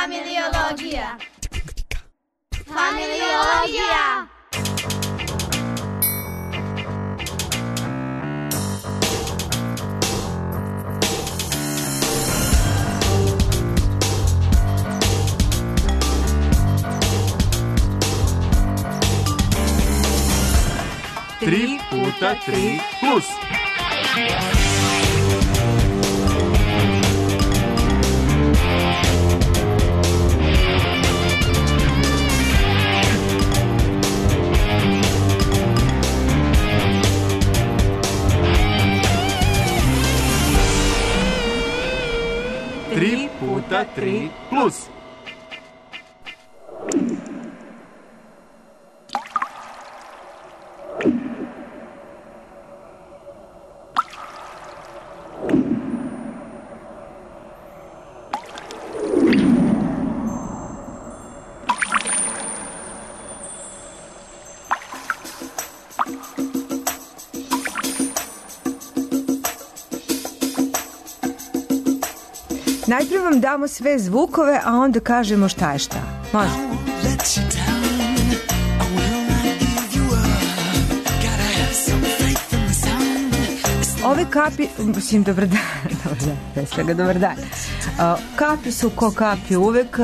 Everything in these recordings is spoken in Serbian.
Familiologija. Familiologija. Tri puta tri plus. Tri puta tri plus. Najprije vam damo sve zvukove, a onda kažemo šta je šta. Može? Ove kapi, mislim, dobar dan. Kapi su ko kapi uvek,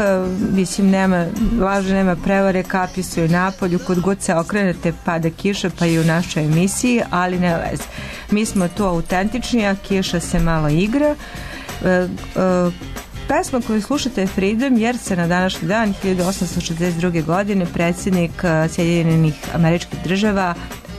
mislim, nema laže, nema prevare, kapi su i napolju, kod god se okrenete pada kiša, pa i u našoj emisiji, ali ne veze. Mi smo tu autentični, a kiša se malo igra. Pesma koju slušate je Freedom, jer se na današnji dan 1862. godine predsjednik Sjedinjenih Američkih Država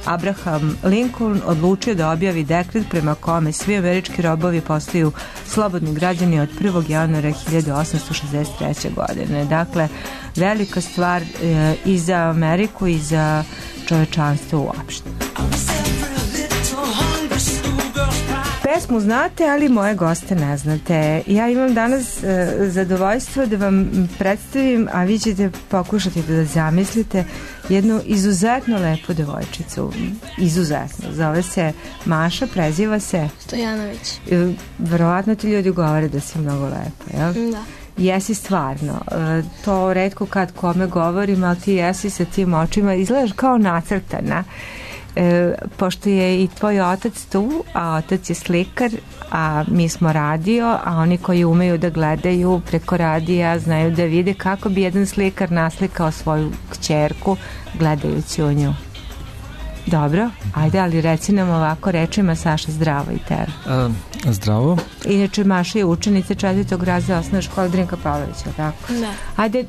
Abraham Lincoln odlučio da objavi dekret prema kome svi američki robovi postaju slobodni građani od 1. januara 1863. godine. Dakle, velika stvar i za Ameriku i za čovečanstvo uopšte. Pesmu znate, ali moje goste ne znate. Ja imam danas zadovoljstvo da vam predstavim, a vi ćete pokušati da zamislite jednu izuzetno lepu devojčicu. Izuzetno. Zove se Maša, preziva se Stojanović. Verovatno ti ljudi govore da si mnogo lepa, jel? Da. Jesi stvarno. To retko kad kome govorim, ali ti jesi sa tim očima. Izgledaš kao nacrtana. Pošto je i tvoj otac tu, a otac je slikar, a mi smo radio, a oni koji umeju da gledaju preko radija znaju da vide kako bi jedan slikar naslikao svoju kćerku gledajući u nju. Dobro, ajde, ali reci nam ovako rečima, Saša, zdravo i tebi. Zdravo. Inače, Maša je učenica 4. razreda osnovne škole Drinka Pavlovića, tako? Da. Ajde,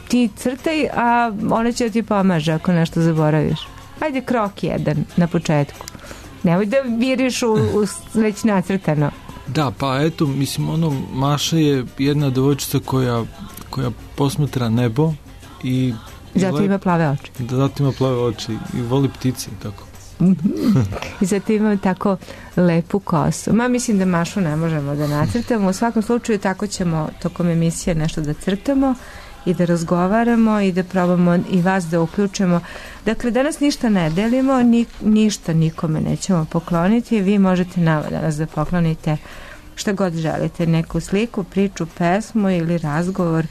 ti crtaj, a ona će ti pomaže ako nešto zaboraviš. Ajde, krok jedan na početku. Nemoj da viriš u već nacrtano. Da, pa eto, mislim, Maša je jedna devojčica koja posmatra nebo i zato ima plave oči. Da, zato ima plave oči i voli ptice i tako. I zato ima tako lepu kosu. Mislim da Mašu ne možemo da nacrtamo. U svakom slučaju tako ćemo tokom emisije nešto da crtamo i da razgovaramo i da probamo i vas da uključimo. Dakle, danas ništa ne delimo, ništa nikome nećemo pokloniti. Vi možete nama danas da poklonite šta god želite, neku sliku, priču, pesmu ili razgovor.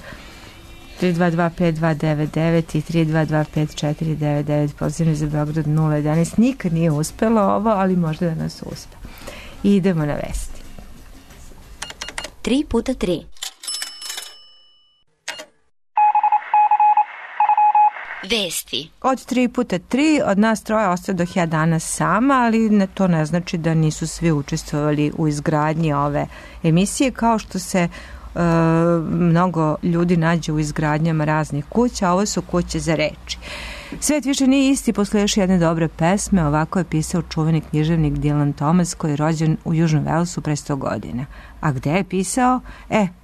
322-5299 i 322-5499, pozivni za Beograd 011. Nikad nije uspelo ovo, ali možda da nas uspe. I idemo na vesti. 3 puta 3. Vesti. Od 3 puta 3, od nas troje ostaje dok ja danas sama, ali to ne znači da nisu svi učestvovali u izgradnji ove emisije, kao što se mnogo ljudi nađe u izgradnjama raznih kuća, a ovo su kuće za reči. Svet više nije isti posle još jedne dobre pesme, ovako je pisao čuveni književnik Dylan Thomas, koji je rođen u Južnom Velsu pre 100 godina. A gde je pisao?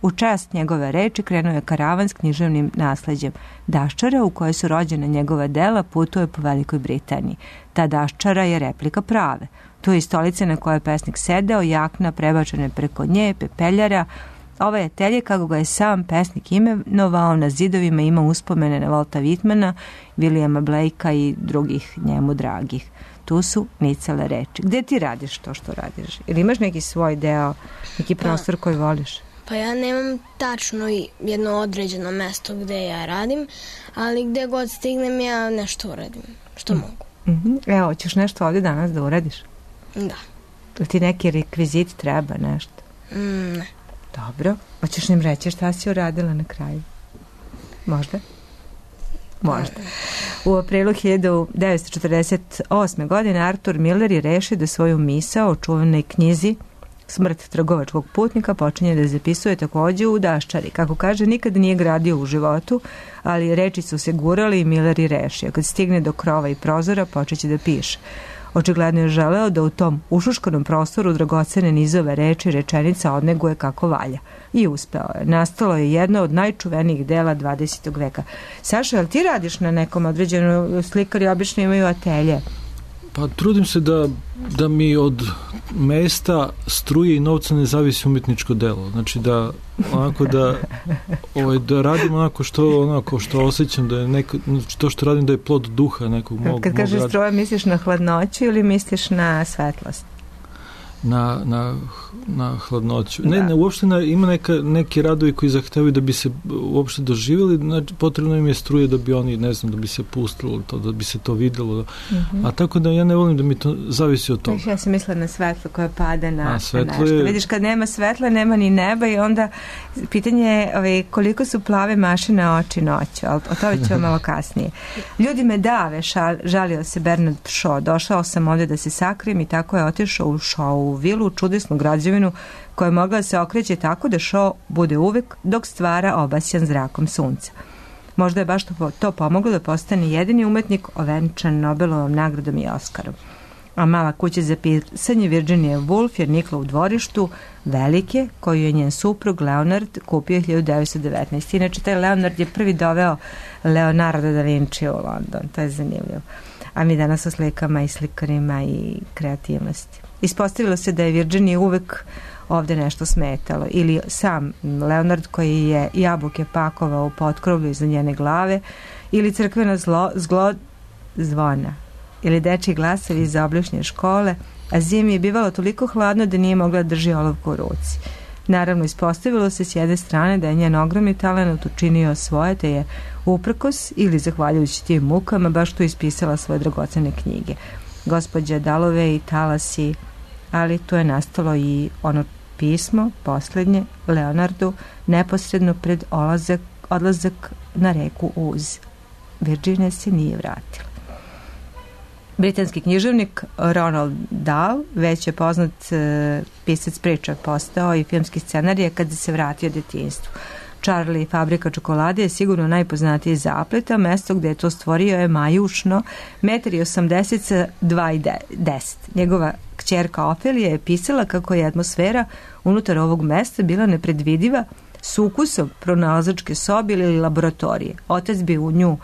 U čast njegove reči krenuo je karavan s književnim nasleđem daščara, u kojoj su rođene njegova dela, putuje po Velikoj Britaniji. Ta daščara je replika prave. Tu je stolica na kojoj je pesnik sedeo, jakna prebačene preko nje, pepeljara. Ovaj atelje, kako ga je sam pesnik imenovao, na zidovima ima uspomene na Walta Whitmana, Williama Blakea i drugih njemu dragih. Tu su nicele reči. Gde ti radiš to što radiš? Ili imaš neki svoj deo, neki prostor koji voliš? Pa ja nemam tačno jedno određeno mesto gde ja radim, ali gde god stignem ja nešto uradim, što mogu. Evo, ćeš nešto ovdje danas da uradiš? Da. Ili ti neki rekvizit treba nešto? Ne. Dobro. Hoćeš nam reći šta si uradila na kraju? Možda? Možda. U aprilu 1948. godine Arthur Miller je rešio da svoju misao o čuvenoj knjizi Smrt trgovačkog putnika počinje da zapisuje takođe u daščari. Kako kaže, nikad nije gradio u životu, ali reči su se gurali i Miller je rešio. Kad stigne do krova i prozora, počeće da piše. Očigledno je želeo da u tom ušuškanom prostoru dragocene nizove reči rečenica odneguje kako valja. I uspeo je. Nastalo je jedno od najčuvenijih dela 20. veka. Saša, jel ti radiš na nekom određenom, slikari obično imaju atelje? Pa trudim se da mi od mesta, struje i novca ne zavisi umetničko delo. Znači da radim onako što osjećam, da je to što radim da je plod duha nekog mog. Kad kažeš struje, misliš na hladnoću ili misliš na svetlost? Na hladnoću. Ne, uopšte ima neki radovi koji zahtevaju da bi se uopšte doživjeli, znači potrebno im je struje da bi oni, ne znam, da bi se pustilo to, da bi se to videlo. A tako da ja ne volim da mi to zavisi od toga. Ja sam mislila na svetlo koje pada na nešto. Vidiš, kad nema svetla, nema ni neba i onda pitanje je koliko su plave mašine oči noću, ali o tome ću malo kasnije. Ljudi me dave, žalio se Bernard Shaw. Došao sam ovdje da se sakrijem i tako je otišao u Shaw vilu, čudesnu građevinu koja je mogla da se okreće tako da Shaw bude uvek dok stvara obasjan zrakom sunca. Možda je baš to pomoglo da postane jedini umetnik ovenčan Nobelovom nagradom i Oskarom. A mala kuća za pisanje Virginia Woolf je nikla u dvorištu velike koju je njen suprug Leonard kupio 1919. Inače, taj Leonard je prvi doveo Leonardo da Vinci u London. To je zanimljivo. A mi danas o slikama i slikarima i kreativnosti. Ispostavilo se da je Virginiji uvek ovde nešto smetalo. Ili sam Leonard koji je jabuke pakovao u potkrovlju iza njene glave, ili crkvena zvona, ili dečji glasovi iz oblišnje škole, a zimi je bivalo toliko hladno da nije mogla da drži olovku u ruci. Naravno, ispostavilo se s jedne strane da je njen ogromni talent učinio svoje, te je uprkos ili zahvaljujući tim mukama baš tu ispisala svoje dragocene knjige. Gospođa Dalove i Talasi, ali tu je nastalo i ono pismo, poslednje, Leonardu, neposredno pred odlazak na reku Uz. Virginia se nije vratila. Britanski književnik Ronald Dahl, već je poznat pisac priča, postao i filmski scenarij kada se vratio djetinjstvu. Charlie i fabrika čokolade je sigurno najpoznatiji zaplet, a mesto gde je to stvorio je Majušno, 1,80 m sa 2,10 m. Njegova kćerka Ofelija je pisala kako je atmosfera unutar ovog mesta bila nepredvidiva s ukusom pronalazačke sobe ili laboratorije. Otac bi u nju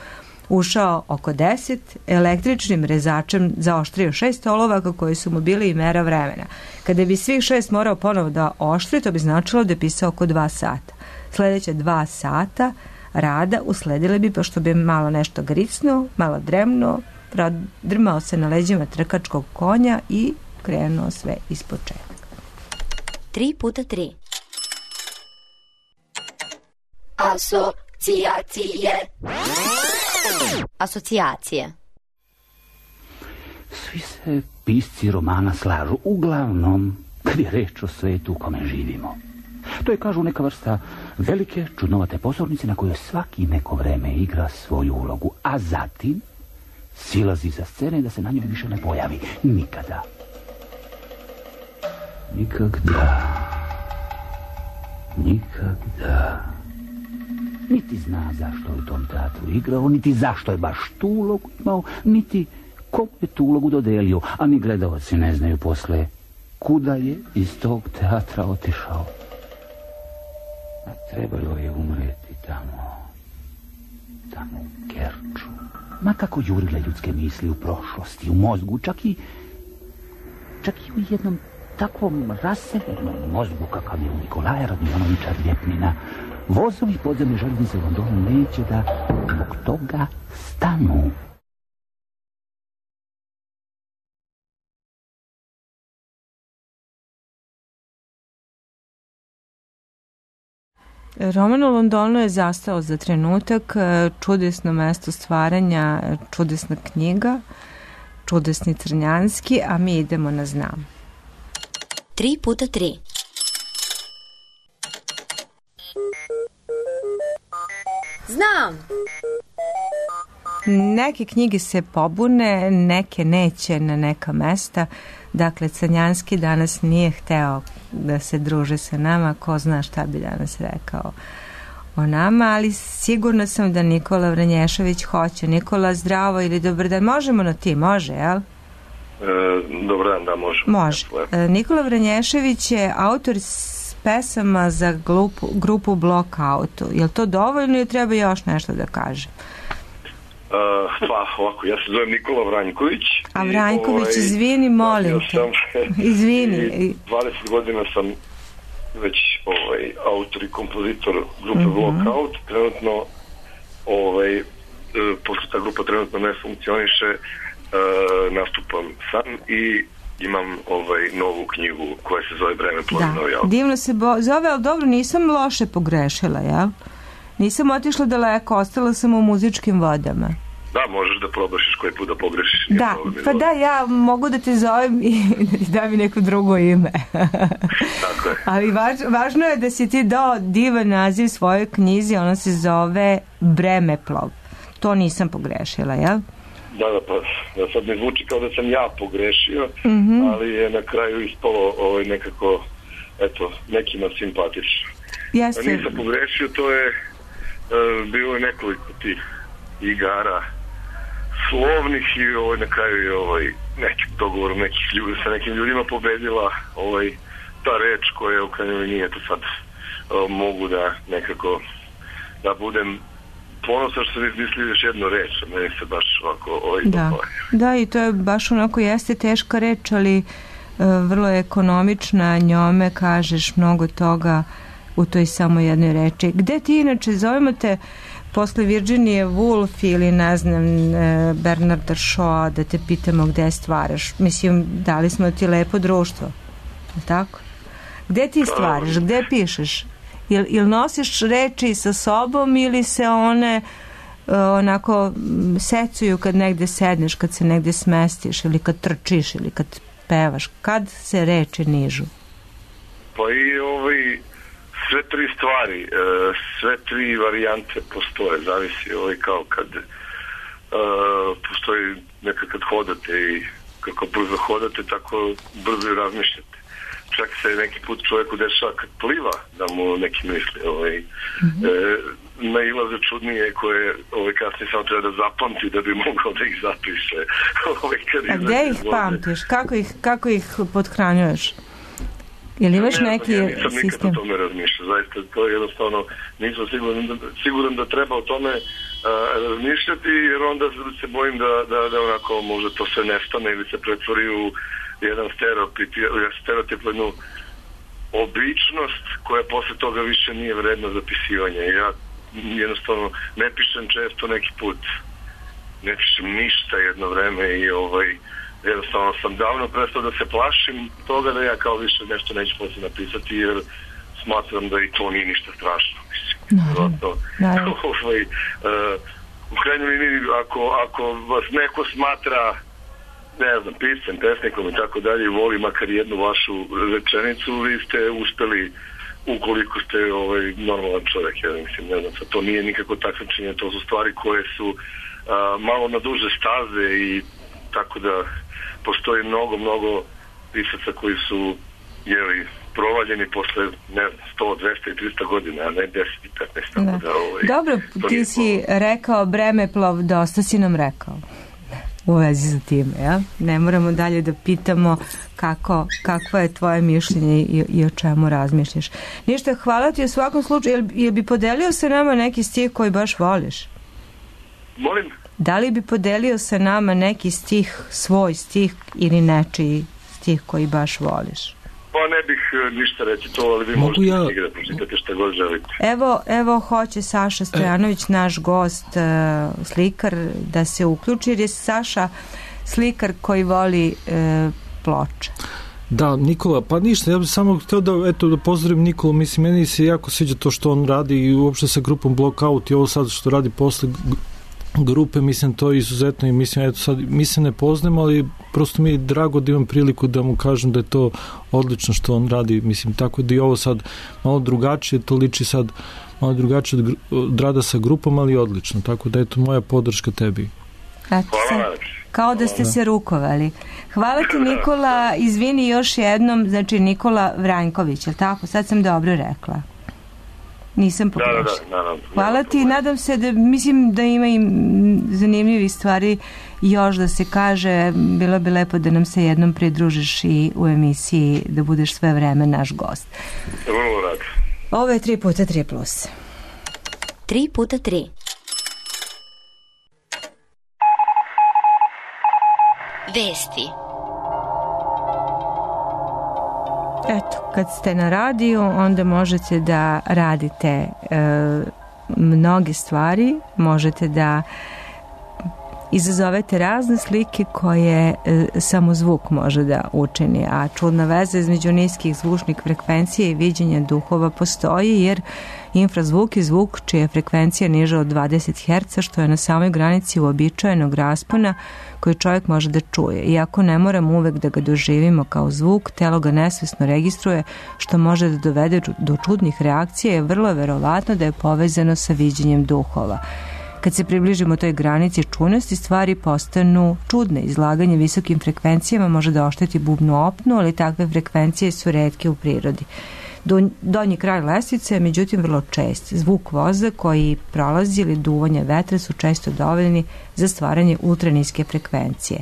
ušao oko 10, električnim rezačem zaoštrio 6 olovaka koji su mu bili i mera vremena. Kada bi svih 6 morao ponovo da oštri, to bi značilo da je pisao oko 2 sata. Sljedeće 2 sata rada usledile bi, pošto bi malo nešto gricnuo, malo dremnuo, drmao se na leđima trkačkog konja i krenuo sve ispočetka. 3x3 Asocijacije. Svi se pisci romana slažu, uglavnom kad je reč o svetu u kome živimo. To je, kažu, neka vrsta velike, čudnovate pozornice na kojoj svaki neko vreme igra svoju ulogu, a zatim silazi za scene da se na njoj više ne pojavi. Nikada. Niti zna zašto je u tom teatru igrao, niti zašto je baš tu ulogu imao, niti komu je tu ulogu dodelio, a ni gledalci ne znaju posle kuda je iz tog teatra otišao. A trebalo je umreti tamo u Kerču. Ma kako jurile ljudske misli u prošlosti, u mozgu, čak i u jednom takvom raseljenom mozgu kakav je u Nikolaja Radmjanovića Ljepnina. Vozovi podzemne željeznice u Londonu neće da zbog toga stanu. Roman u Londonu je zastao za trenutak, čudesno mesto stvaranja, čudesna knjiga, čudesni Crnjanski, a mi idemo na Znam. 3x3. Znam! Neke knjige se pobune, neke neće na neka mesta. Dakle, Crnjanski danas nije hteo da se druže sa nama, ko zna šta bi danas rekao o nama, ali sigurno sam da Nikola Vranješević hoće. Nikola, zdravo ili dobar dan. Možemo na ti, može, jel? Dobar dan, da, može. Može. Nikola Vranješević je autor pesama za grupu Blockout. Je li to dovoljno ili treba još nešto da kaže? Pa ovako, ja se zovem Nikola Vranjković. A Vranjković, izvini, molim te. Izvini. 20 godina sam već autor i kompozitor grupe Blockout. Trenutno pošto ta grupa trenutno ne funkcioniše, nastupam sam i imam novu knjigu koja se zove Breme plodno. Da, divno se zove, ali dobro, nisam loše pogrešila, jel? Nisam otišla daleko, ostala sam u muzičkim vodama. Da, možeš da probašiš koji put da pogrešiš. Da, pa da, ja mogu da te zovem i da mi neko drugo ime. Tako je. Ali važno je da si ti dao divan naziv svojoj knjizi, ona se zove Bremeplov. To nisam pogrešila, jel? Da, pa sad mi zvuči kao da sam ja pogrešio, ali je na kraju ispalo nekako, eto, nekima simpatično. Jeste. Nisam pogrešio, to je bilo je nekoliko tih igara slovnih i na kraju je neki dogovor nekih ljudi sa nekim ljudima pobedila ta reč koja u krajnjoj nije to sad mogu da nekako da budem ponosan što sam izmislio još jednu reč, a meni se baš ovako Da, i to je baš onako jeste teška reč, ali vrlo je ekonomična, njome kažeš mnogo toga u toj samo jednoj reči. Gde ti inače, zovemo te posle Virginije Woolf ili ne znam Bernarda Shaw, da te pitamo gde stvaraš? Mislim, dali smo ti lepo društvo, tako? Gde ti stvaraš, gde pišeš? Ili nosiš reči sa sobom ili se one onako secuju kad negde sedneš, kad se negde smestiš ili kad trčiš ili kad pevaš? Kad se reči nižu? Pa i sve tri stvari, sve tri varijante postoje, zavisi kao kad postoji nekad kad hodate i kako brzo hodate, tako brzo i razmišljate. Čak se neki put čovjeku dešava kad pliva da mu neki misli nailaze čudnije koje kasnije samo treba da zapamti da bi mogao da ih zapiše. A gde ih pamtiš? Kako ih pothranjuješ? Ili imaš neki sistem? Ja nisam nikad o tome razmišljao. Zaista to je jednostavno, nisam siguran da treba o tome razmišljati, jer onda se bojim da onako možda to sve nestane ili se pretvori u jedan stereotip, jednu običnost koja posle toga više nije vredna zapisivanja. Ja jednostavno ne pišem često, neki put ne pišem ništa jedno vreme i jednostavno sam davno prestao da se plašim toga da ja kao više nešto neću posle napisati, jer smatram da i to nije ništa strašno. U krajnjoj liniji, ako vas neko smatra, ne znam, piscem, pesnikom i tako dalje, voli makar jednu vašu rečenicu, vi ste uspeli ukoliko ste normalan čovjek. Ja mislim, ne znam, to nije nikako takmičenje, to su stvari koje su malo na duže staze i tako da postoji mnogo pisaca koji su provaljeni posle, ne znam, 100, 200 i 300 godina, a ne 10 i 15. Dobro, ti si rekao Bremeplov, dosta si nam rekao u vezi sa tim, ja? Ne moramo dalje da pitamo kakvo je tvoje mišljenje i o čemu razmišljaš. Ništa, hvala ti u svakom slučaju. Jel bi podelio sa nama neki stih koji baš voliš? Molim? Da li bi podelio sa nama neki stih, svoj stih ili nečiji stih koji baš voliš? Pa ne bih ništa reći to, ali vi možete da pročitate šta god želite. Evo hoće Saša Stojanović, naš gost, slikar, da se uključi, jer je Saša slikar koji voli ploče. Da, Nikola, pa ništa, ja bih samo htio da pozdravim Nikolu, mislim, meni se jako sviđa to što on radi i uopšte sa grupom Blockout i ovo sad što radi posle grupe, mislim, to je izuzetno i mislim, eto sad, mi se ne poznamo, ali prosto mi je drago da imam priliku da mu kažem da je to odlično što on radi, mislim, tako da i ovo sad malo drugačije, to liči sad malo drugačije od rada sa grupom, ali odlično, tako da eto moja podrška tebi. Kao da ste se rukovali. Hvala ti, Nikola, izvini još jednom, znači Nikola Vranjković, je li tako? Sad sam dobro rekla. Nisam pogrešila. Da. Hvala ti, nadam se da, mislim da ima i zanimljivih stvari još da se kaže, bilo bi lepo da nam se jednom pridružiš i u emisiji, da budeš sve vreme naš gost. Vrlo rad. Ovo je 3x3+. 3x3. Vesti. Eto, kad ste na radiju, onda možete da radite mnoge stvari, možete da izazovete razne slike koje samo zvuk može da učini, a čudna veza između niskih zvučnih frekvencija i viđenja duhova postoji, jer infrazvuk je zvuk čija je frekvencija niža od 20 Hz, što je na samoj granici uobičajenog raspona koji čovjek može da čuje. Iako ne moramo uvek da ga doživimo kao zvuk, telo ga nesvesno registruje, što može da dovede do čudnih reakcija, je vrlo verovatno da je povezano sa viđenjem duhova. Kad se približimo toj granici čudnosti, stvari postanu čudne. Izlaganje visokim frekvencijama može da ošteti bubnu opnu, ali takve frekvencije su retke u prirodi. Donji kraj lestvice je međutim vrlo čest. Zvuk voza koji prolazi ili duvanje vetra su često dovoljni za stvaranje ultraniske frekvencije.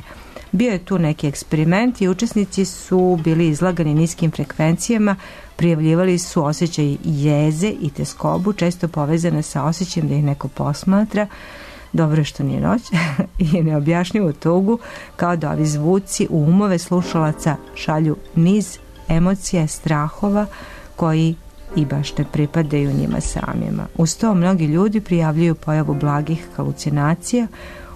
Bio je tu neki eksperiment i učesnici su bili izlagani niskim frekvencijama, prijavljivali su osjećaj jeze i teskobu, često povezane sa osjećajem da ih neko posmatra, dobro je što nije noć, i neobjašnjivu tugu, kao da ovi zvuci u umove slušalaca šalju niz emocija, strahova koji i baš ne pripadaju njima samima. Uz to mnogi ljudi prijavljuju pojavu blagih halucinacija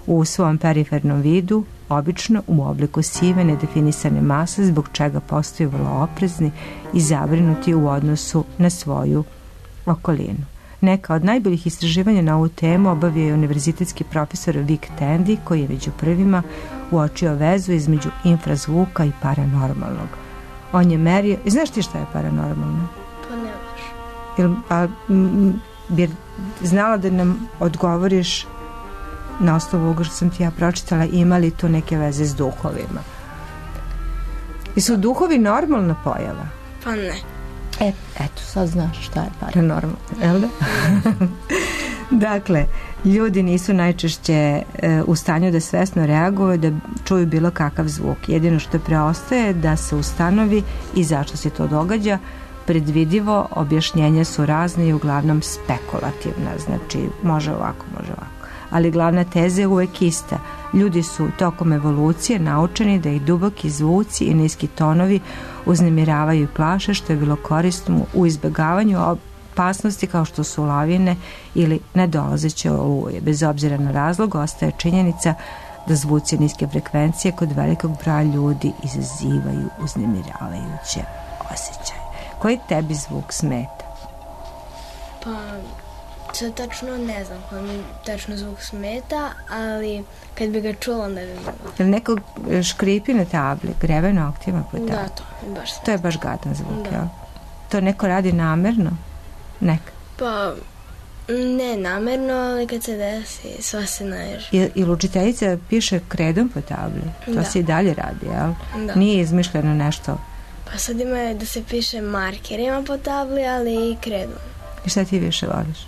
u svom perifernom vidu, obično u obliku sive nedefinisane mase, zbog čega postaju vrlo oprezni i zabrinuti u odnosu na svoju okolinu. Neka od najboljih istraživanja na ovu temu obavio je univerzitetski profesor Vic Tandy, koji je među prvima uočio vezu između infrazvuka i paranormalnog. On je merio... Znaš ti šta je paranormalno? Pa ne baš. Bi znala da nam odgovoriš na osnovu ovoga što sam ti ja pročitala, imali tu neke veze s duhovima? I su duhovi normalna pojava? Pa ne. Eto, sad znaš šta je paranormalno, jel da? Dakle, ljudi nisu najčešće u stanju da svesno reaguju, da čuju bilo kakav zvuk. Jedino što preostaje da se ustanovi i zašto se to događa. Predvidivo objašnjenja su razne i uglavnom spekulativna, znači može ovako, može ovako. Ali glavna teza je uvek ista. Ljudi su tokom evolucije naučeni da ih duboki zvuci i niski tonovi uznemiravaju i plaše, što je bilo korisno u izbegavanju opasnosti kao što su lavine ili nedolazeće oluje. Bez obzira na razlog, ostaje činjenica da zvuci niske frekvencije kod velikog broja ljudi izazivaju uznemiravajuće osjećaje. Koji tebi zvuk smeta? Pa, sad tačno ne znam koji mi tačno zvuk smeta, ali kad bi ga čula, onda bi bilo. Jel neko škripi na tabli, grebe noktima po tabli? Da, to je baš smeta. To je baš gadan zvuk, jel? To neko radi namerno? Neka? Pa, ne namerno, ali kad se desi, sva se naježi. I učiteljica piše kredom po tabli? To se i dalje radi, jel? Da. Nije izmišljeno nešto? Pa sad ima da se piše markerima po tabli, ali i kredom. I šta ti više voliš?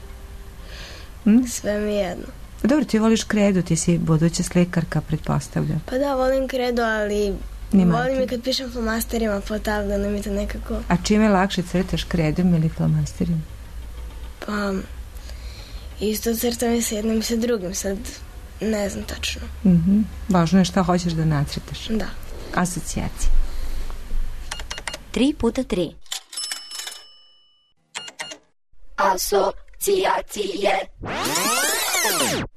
Sve mi jedno. Dobro, ti voliš kredu, ti si buduća slikarka, pretpostavljam. Pa da, volim kredu, ali volim i kad pišem flomasterima po tabli, onda mi to nekako... A čime lakše crtaš, kredom ili flomasterima? Pa, isto crtam i sa jednim i sa drugim, sad ne znam tačno. Važno je šta hoćeš da nacrtaš. Da. Asocijacije. 3x3.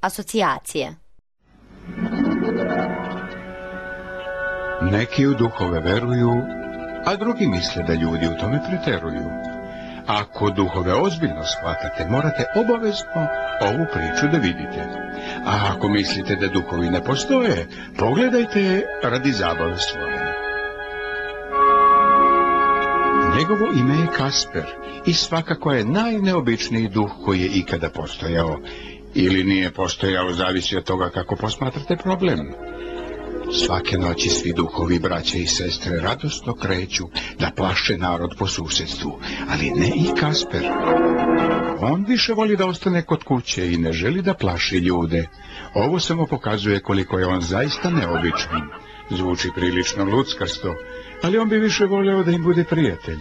Asocijacije. Neki u duhove veruju, a drugi misle da ljudi u tome preteruju. Ako duhove ozbiljno shvatate, morate obavezno ovu priču da vidite. A ako mislite da duhovi ne postoje, pogledajte je radi zabave stvorene. Njegovo ime je Kasper i svakako je najneobičniji duh koji je ikada postojao. Ili nije postojao, zavisi od toga kako posmatrate problem. Svake noći svi duhovi, braće i sestre, radosno kreću da plaše narod po susjedstvu, ali ne i Kasper. On više voli da ostane kod kuće i ne želi da plaši ljude. Ovo samo pokazuje koliko je on zaista neobičan. Zvuči prilično luckarsto, ali on bi više voleo da im bude prijatelj.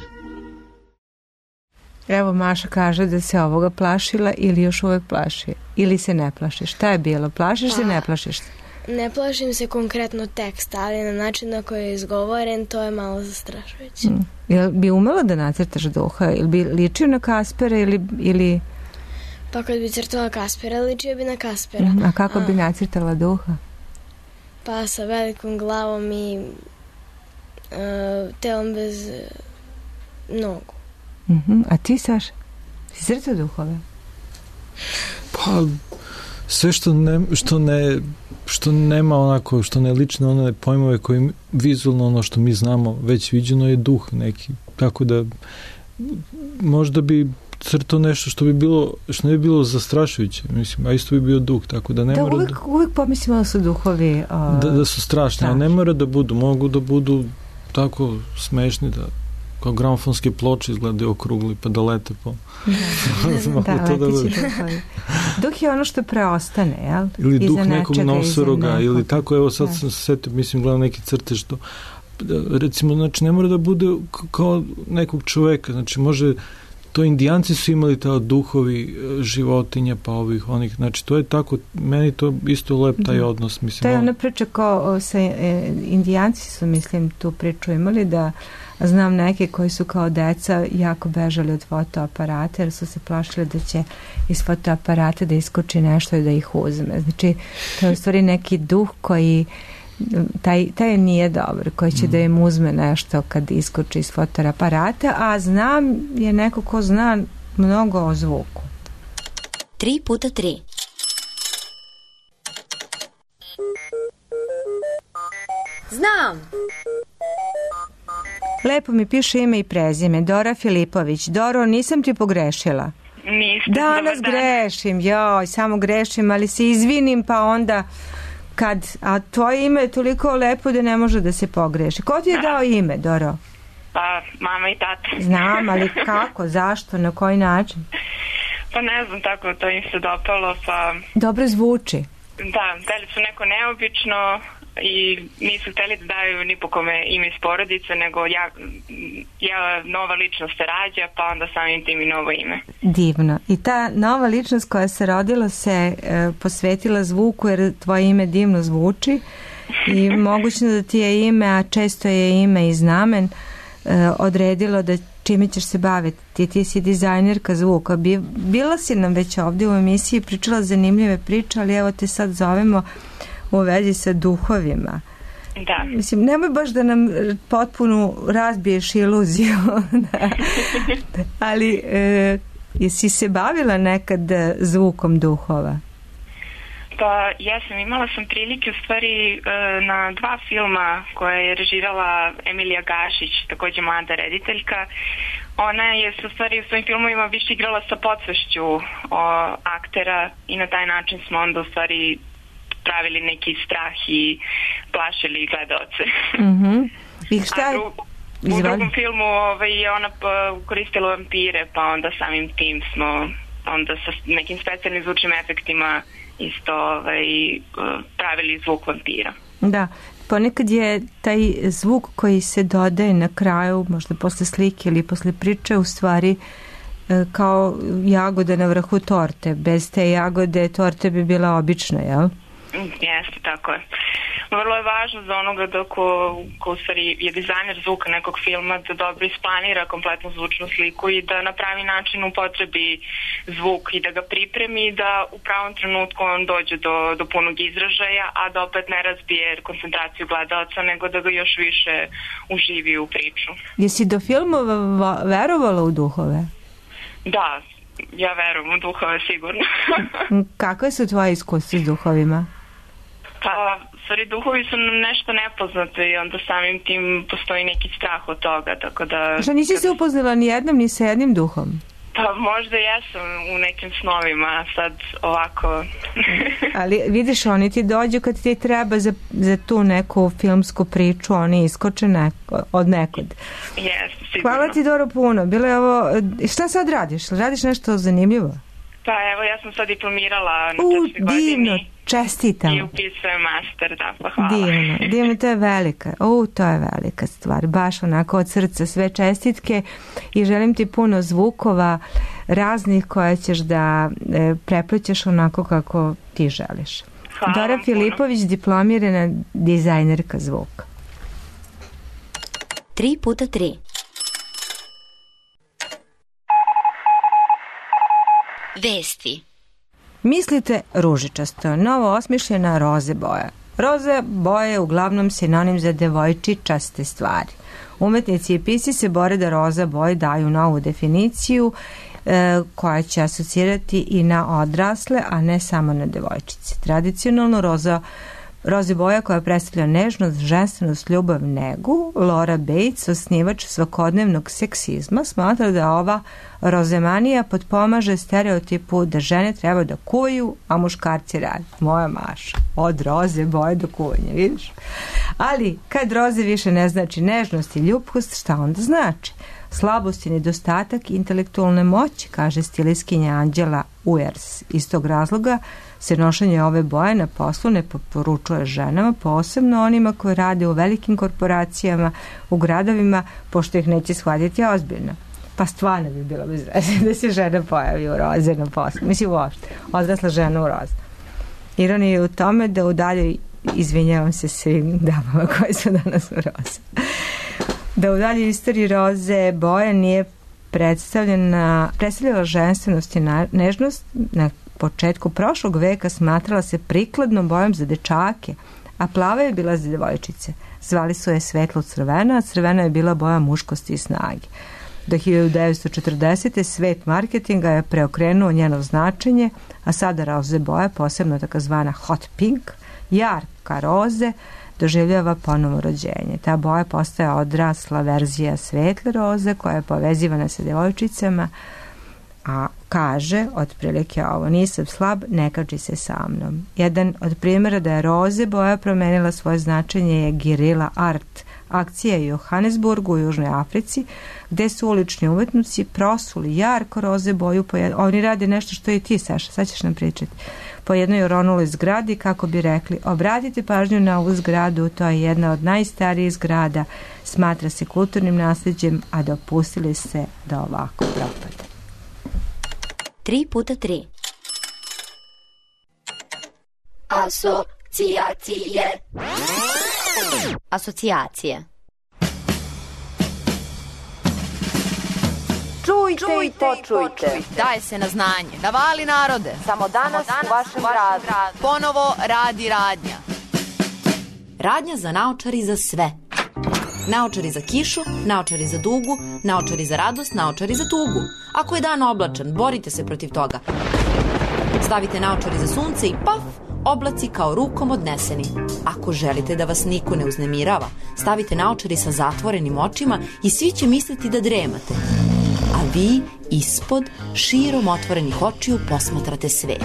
Evo, Maša kaže da se ovoga plašila ili još uvek plaši. Ili se ne plašiš. Šta je bilo? Plašiš se, ne plašiš se? Ne plašim se konkretno teksta, ali na način na koji je izgovoren, to je malo zastrašujuće. Jel bi umela da nacrtaš duha? Ili bi ličio na Kaspera ili... Pa kad bi crtala Kaspera, ličio bi na Kaspera. A kako bi nacrtala duha? Pa sa velikom glavom i telom bez nogu. A ti, Saš? Si crtao duhove? Pa, sve što nema onako, što ne liči na one pojmove koji vizualno ono što mi znamo već viđeno je duh neki. Tako da možda bi crtao nešto što ne bi bilo zastrašujuće, mislim, a isto bi bio duh, tako da ne mora uvijek pomislimo da su duhovi da su strašni, a ne mora da budu, mogu da budu tako smešni da kao gramofonske ploče izgledaju okrugli pa da lete po... Duh je ono što preostane, jel? Ili duh nekog nosoroga, ili tako, evo sad sam se setio, mislim, gledam neki crtež što, recimo, znači ne mora da bude kao nekog čoveka, znači može, to Indijanci su imali ta duhovi životinja, pa onih, znači to je tako, meni to isto lep taj odnos, mislim. To je ona priča kao sa Indijanci su, mislim, tu priču imali da znam neke koji su kao deca jako bežali od fotoaparata jer su se plašili da će iz fotoaparata da iskoči nešto i da ih uzme. Znači, to je u stvari neki duh koji taj nije dobar, koji će da im uzme nešto kad iskoči iz fotoaparata, a znam je neko ko zna mnogo o zvuku. 3x3 Znam! Lepo mi piše ime i prezime. Dora Filipović. Doro, nisam ti pogrešila? Niste. Danas grešim, samo grešim, ali se izvinim pa onda a tvoje ime je toliko lepo da ne može da se pogreši. Ko ti je dao ime, Doro? Pa, mama i tata. Znam, ali kako, zašto, na koji način? Pa ne znam, tako to im se dopalo, pa... Dobro zvuči. Da, hteli su neko neobično i nisu hteli da daju ni po kome ime iz porodice, nego ja nova ličnost se rađa, pa onda samim tim i novo ime. Divno. I ta nova ličnost koja se rodila se posvetila zvuku jer tvoje ime divno zvuči i moguće da ti je ime, a često je ime i znamen, odredilo da čime ćeš se baviti. Ti si dizajnerka zvuka. Bila si nam već ovdje u emisiji, pričala zanimljive priče, ali evo te sad zovemo u vezi sa duhovima. Da. Mislim, nemoj baš da nam potpuno razbiješ iluziju. Ali jesi se bavila nekad zvukom duhova? Pa imala sam prilike u stvari na 2 filma koje je režirala Emilija Gašić, također mlada rediteljka. Ona je u stvari u svojim filmovima više igrala sa podsvešću aktera i na taj način smo onda u stvari pravili neki strah i plašili gledaoce. I šta je? U drugom filmu je ona koristila vampire, pa onda samim tim smo onda sa nekim specijalnim zvučnim efektima isto pravili zvuk vampira. Da, ponekad je taj zvuk koji se dodaje na kraju, možda posle slike ili posle priče, u stvari kao jagoda na vrhu torte. Bez te jagode torte bi bila obična, jel? Jeste, tako je. vrlo je važno za onoga da ko u stvari je dizajner zvuka nekog filma da dobro isplanira kompletnu zvučnu sliku i da na pravi način upotrebi zvuk i da ga pripremi i da u pravom trenutku on dođe do punog izražaja, a da opet ne razbije koncentraciju gledalca, nego da ga još više uživi u priču. Jesi do filmova verovala u duhove? Da, ja verujem u duhove sigurno. Kakve su tvoje iskustva s duhovima? Pa, stvari, duhovi su nešto nepoznate i onda samim tim postoji neki strah od toga, tako da... Šta, nisi se upoznala ni jednom, ni sa jednim duhom? Pa, možda jesam u nekim snovima, sad ovako... Ali vidiš, oni ti dođu kad ti treba za tu neku filmsku priču, oni iskoče od nekud. Jes, sigurno. Hvala ti, Doro, puno. Bilo je ovo... Šta sad radiš? Radiš nešto zanimljivo? Pa evo, ja sam sad diplomirala na trećoj godini. Divno, čestitam. I upisujem master, da, pa hvala. Divno, to je velika. To je velika stvar. Baš onako od srca sve čestitke i želim ti puno zvukova raznih koje ćeš da preplećeš onako kako ti želiš. Hvala. Dora Filipović, diplomirana dizajnerka zvuka. 3x3. Vesti. Mislite ružičasto, novo osmišljena roze boja. Roze boje je uglavnom sinonim za devojčičaste stvari. Umetnici i pisci se bore da roza boje daju novu definiciju koja će asocirati i na odrasle, a ne samo na devojčice. Tradicionalno roze boja koja predstavlja nežnost, ženstvenost, ljubav, negu, Laura Bates, osnivač svakodnevnog seksizma, smatra da ova rozemanija potpomaže stereotipu da žene treba da kuvaju, a muškarci rade. Moja Maša, od roze boje do kuvanja, vidiš? Ali, kad roze više ne znači nežnost i ljubkost, šta onda znači? Slabost i nedostatak intelektualne moći, kaže stilistkinja Anđela Uers. Iz tog razloga se nošenje ove boje na poslu ne poručuje ženama, posebno onima koji rade u velikim korporacijama, u gradovima, pošto ih neće shvatiti ozbiljno. Pa stvarno bi bilo bez veze da se žena pojavi u roze na poslu. Mislim, uopšte, odrasla žena u roze. Ironija je u tome da u daljoj, izvinjavam se svim damama koje su danas u roze, da u daljoj istoriji roze boja nije predstavljala ženstvenost i nežnost. Na početku prošlog veka smatrala se prikladnom bojom za dečake, a plava je bila za devojčice. Zvali su je svetlo crvena, a crvena je bila boja muškosti i snage. Do 1940. svet marketinga je preokrenuo njeno značenje, a sada roze boja, posebno takozvana hot pink, jarka roze, doživljava ponovo rođenje. Ta boja postaje odrasla verzija svetle roze koja je povezivana sa devojčicama, a kaže otprilike ovo: nisam slab, ne kači se sa mnom. Jedan od primjera da je roze boja promenila svoje značenje je Guerrilla Art, akcija u Johannesburgu u Južnoj Africi, gde su ulični umetnici prosuli jarko roze boju. Oni rade nešto što i ti, Saša, sad ćeš nam pričati. Po jednoj oronuloj zgradi, kako bi rekli: obratite pažnju na ovu zgradu, to je jedna od najstarijih zgrada, smatra se kulturnim nasljeđem, a dopustili se da ovako propada. 3x3. Asocijacije. Čujte i počujte. Daje se na znanje. Navali narode. Samo danas u vašem radu. Ponovo radi radnja. Radnja za naočari za sve. Naočari za kišu, naočari za dugu, naočari za radost, naočari za tugu. Ako je dan oblačan, borite se protiv toga. Stavite naočari za sunce i paf, oblaci kao rukom odneseni. Ako želite da vas niko ne uznemirava, stavite naočari sa zatvorenim očima i svi će misliti da dremate. A vi ispod, širom otvorenih očiju, posmatrate svet.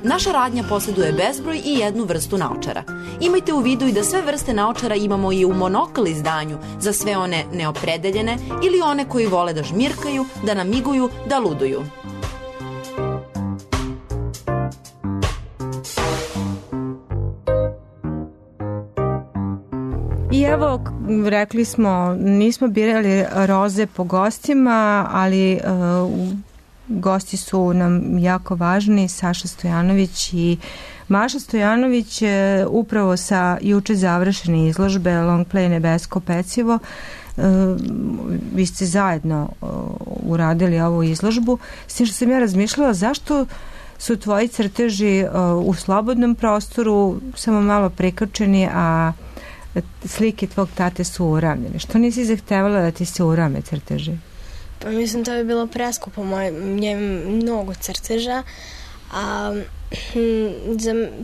Naša radnja posjeduje bezbroj i jednu vrstu naočara. Imajte u vidu i da sve vrste naočara imamo i u monokl izdanju za sve one neopredeljene ili one koji vole da žmirkaju, da namiguju, da luduju. I evo, rekli smo, nismo birali roze po gostima, ali gosti su nam jako važni, Saša Stojanović i Maša Stojanović upravo sa juče završene izložbe Long Play Nebesko pecivo, vi ste zajedno uradili ovu izložbu, s tim što sam ja razmišljala zašto su tvoji crteži u slobodnom prostoru samo malo prikačeni, a slike tvog tate su uravnjene. Što nisi zahtevala da ti se urame crteži? Pa mislim, to bi bilo preskupo, njem mnogo crteža, a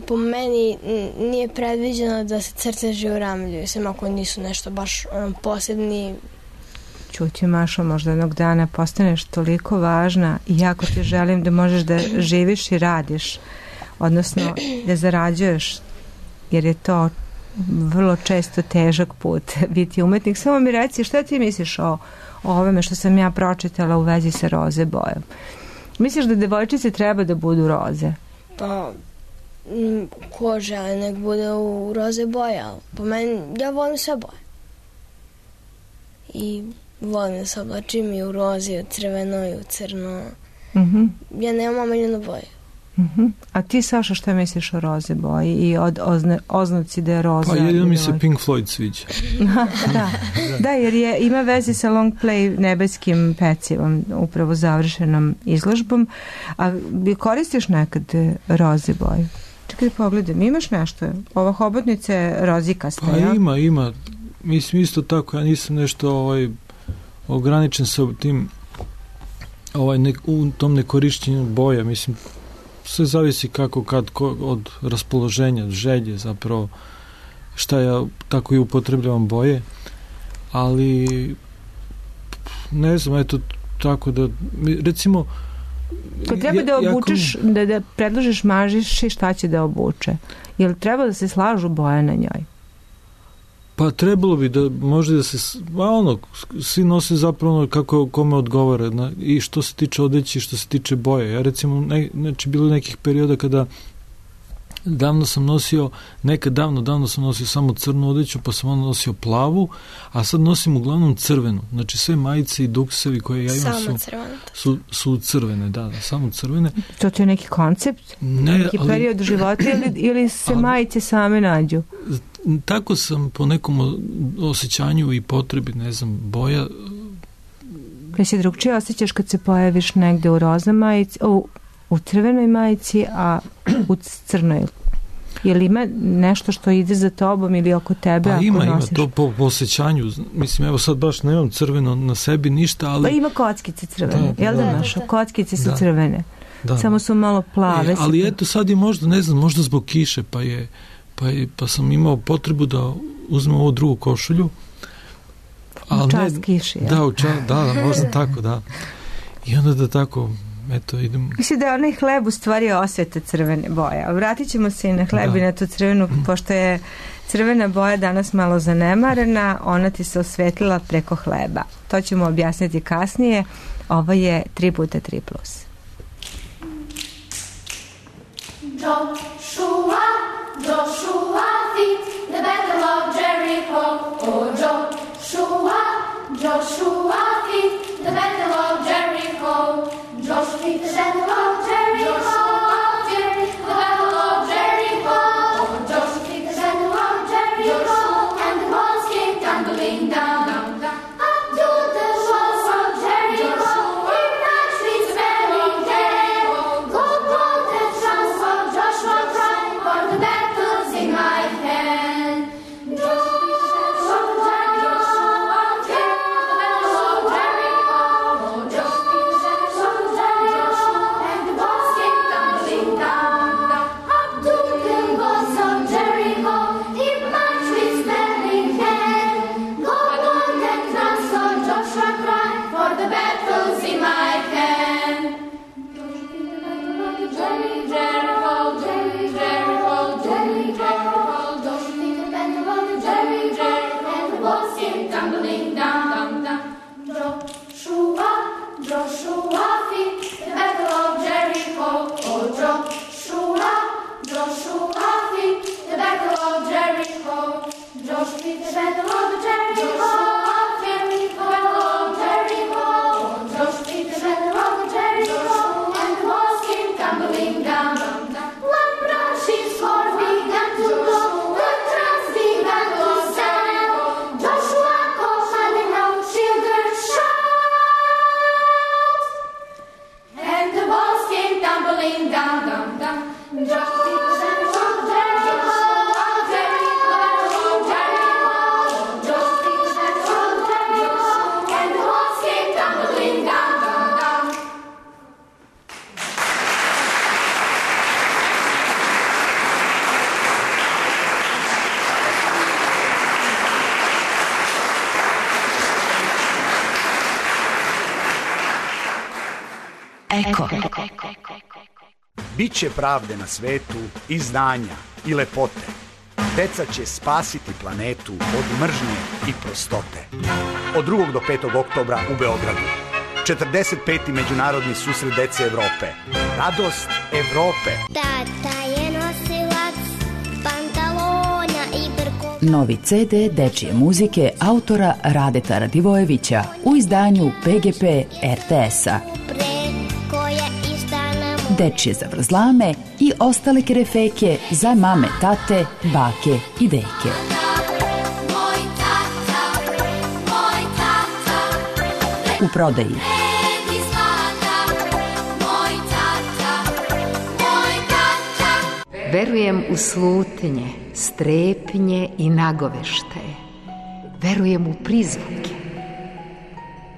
po meni nije predviđeno da se crteži uramljuju, sem ako nisu nešto baš posebni. Čuti, Mašo, možda jednog dana postaneš toliko važna i jako ti želim da možeš da živiš i radiš, odnosno da zarađuješ, jer je to vrlo često težak put biti umetnik. Samo mi reci, šta ti misliš o ovome što sam ja pročitala u vezi sa roze bojom? Misliš da devojčice treba da budu roze? Pa, ko žele nek bude u roze boje, ali po meni, ja volim sve boje. I volim da se oblačim i u rozi, i u crveno, i u crno. Ja nemam omiljenu boju. A ti, Saša, šta misliš o roze boji i oznaci da je roza? Pa jedino mi se Pink Floyd sviđa. Da, jer ima veze sa Long Play Nebeskim pecivom, upravo završenom izložbom. A koristiš nekad roze boju? Čekaj da pogledam, imaš nešto? Ova hobotnica je rozikasta, pa ja? Ima. Mislim isto tako, ja nisam nešto ograničen sa tim u tom nekorišćenju boja. Mislim, sve zavisi kako od raspoloženja, želje zapravo, šta ja tako i upotrebljavam boje, ali ne znam, eto tako da recimo kad treba da obučeš, da predložiš Mažiši šta će da obuče, jel treba da se slažu boje na njoj? Pa trebalo bi da može da se svi nose zapravo kako kome odgovara i što se tiče odeći i što se tiče boje. Ja recimo, znači bilo nekih perioda kada davno sam nosio samo crnu odeću, pa sam onda nosio plavu, a sad nosim uglavnom crvenu. Znači sve majice i duksevi koje ja imam su crvene, da, samo crvene. To je neki koncept? Neki period života ili se majice same nađu? Tako sam po nekom osjećanju i potrebi, ne znam, boja. Kada se drugčije osjećaš kad se pojaviš negde u rozam majici, u crvenoj majici, a u crnoj? Je li ima nešto što ide za tobom ili oko tebe? Pa ima to po osjećanju. Mislim, evo sad baš nemam crveno na sebi ništa, ali... Pa ima kockice crvene, jel da naša? Kockice su crvene. Da. Samo su malo plave. Ali eto sad je možda, ne znam, možda zbog kiše, pa sam imao potrebu da uzmem ovu drugu košulju. U čast kiši, ja? Da, možda tako, da. I onda da tako, eto, idem... Mislim da je onaj hleb u stvari osveta crvene boje. Vratit ćemo se i na hleb i na tu crvenu, pošto je crvena boja danas malo zanemarena, ona ti se osvetlila preko hleba. To ćemo objasniti kasnije. Ovo je 3x3+. Joshua feet the battle of Jericho. Oh, Joshua feet the battle of Jericho. Joshua feet the battle of Jericho. The battle of Jericho. Oh, Joshua feet the battle of Jericho. And the walls came tumbling down. Up to the walls of Jericho. In that streets very dead. Go blow the drums of Joshua. Eko. Biće pravde na svetu i znanja i lepote. Deca će spasiti planetu od mržnje i prostote. Od 2. do 5. oktobra u Beogradu. 45. međunarodni susret dece Evrope. Radost Evrope. Tata je nosilac pantalona i brkova. Novi CD dečije muzike autora Radeta Radivojevića u izdanju PGP RTS-a. Dečije zavrzlame i ostale kerefeke za mame, tate, bake i deke. U prodaji. Verujem u slutnje, strepnje i nagoveštaje. Verujem u prizvuke.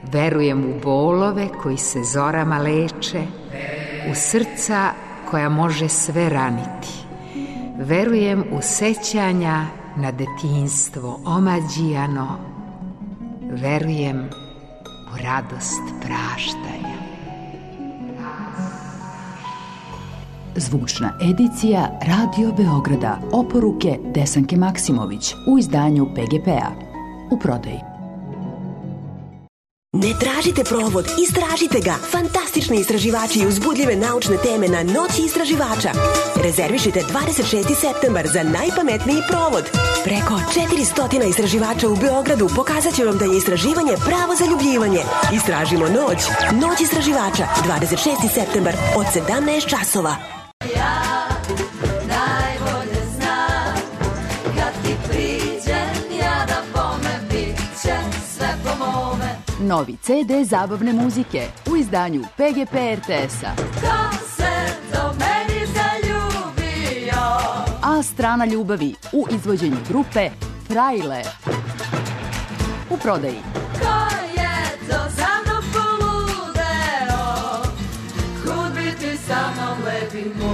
Verujem u bolove koji se zorama leče, u srca koja može sve raniti. Verujem u sećanja na detinjstvo omađijano. Verujem u radost praštanja. Zvučna edicija Radio Beograda. Oporuke Desanke Maksimović u izdanju PGP-a. U prodaji. Ne tražite provod, istražite ga. Fantastični istraživači i uzbudljive naučne teme na Noći istraživača. Rezervišite 26. septembar za najpametniji provod. Preko 400 istraživača u Beogradu pokazat će vam da je istraživanje pravo zaljubljivanje. Istražimo noć. Noć istraživača, 26. septembar od 17 časova. Ja najbolje znam kad ti priđem ja da bome bit će sve po mome. Novi CD zabavne muzike u izdanju PGP RTS-a. Ko se do meni zaljubio? A strana ljubavi u izvođenju grupe Frajle. U prodaji. Ko je to za mnom poludeo? Kud bi ti sa mnom lepi moj?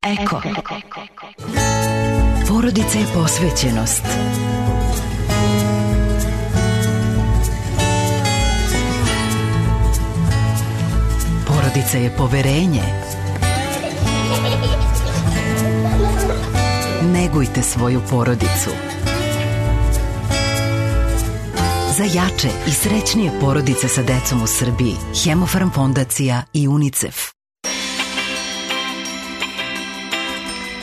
Eko. Porodica je posvećenost. Porodica je poverenje. Negujte svoju porodicu. Za jače i srećnije porodice sa decom u Srbiji, Hemofarm fondacija i UNICEF.